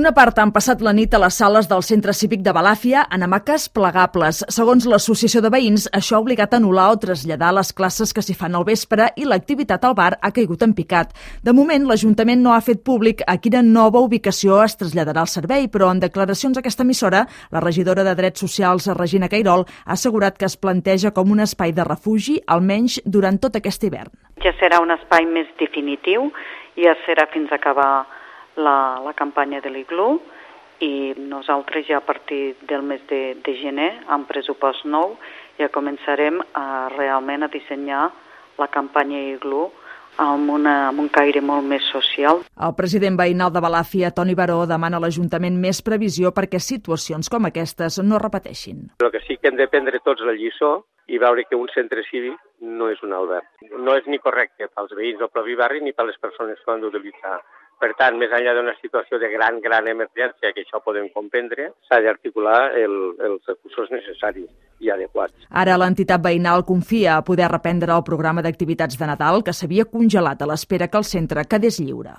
Bona part han passat la nit a les sales del Centre Cívic de Balàfia en hamaques plegables. Segons l'Associació de Veïns, això ha obligat a anul·lar o traslladar les classes que s'hi fan al vespre i l'activitat al bar ha caigut en picat. De moment, l'Ajuntament no ha fet públic a quina nova ubicació es traslladarà el servei, però en declaracions a aquesta emissora, la regidora de Drets Socials, Regina Cairol, ha assegurat que es planteja com un espai de refugi, almenys durant tot aquest hivern. Ja serà un espai més definitiu, ja serà fins a acabar la campanya de l'Iglú i nosaltres ja a partir del mes de gener, amb pressupost nou, ja començarem realment a dissenyar la campanya Iglú amb un caire molt més social. El president veïnal de Balàfia, Toni Baró, demana a l'Ajuntament més previsió perquè situacions com aquestes no repeteixin. Però que sí que hem de prendre tots la lliçó i veure que un centre cívic no és un alberg. No és ni correcte pels veïns del propi barri ni per les persones que ho han d'utilitzar. Per tant, més enllà d'una situació de gran emergència, que això podem comprendre, s'ha d'articular els recursos necessaris i adequats. Ara l'entitat veïnal confia a poder reprendre el programa d'activitats de Nadal que s'havia congelat a l'espera que el centre quedés lliure.